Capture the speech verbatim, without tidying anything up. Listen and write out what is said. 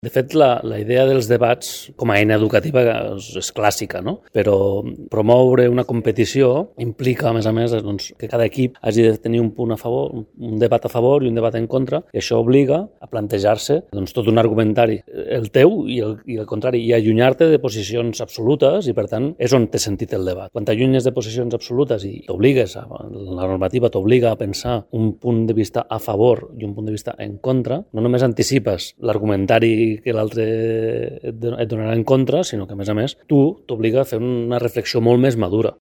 De fet, la, la idea dels debats com a eina educativa és, és clàssica, no? Però promoure una competició implica, a més a més, doncs, que cada equip hagi de tenir un punt a favor, un debat a favor i un debat en contra, i això obliga a plantejar-se doncs, tot un argumentari, el teu i el, i el contrari, i allunyar-te de posicions absolutes, i per tant és on té sentit el debat. Quan t'allunyes de posicions absolutes i t'obligues, a, la normativa t'obliga a pensar un punt de vista a favor i un punt de vista en contra, no només anticipes l'argumentari que l'altre et donarà en contra, sinó que, a més a més, tu t'obliga a fer una reflexió molt més madura.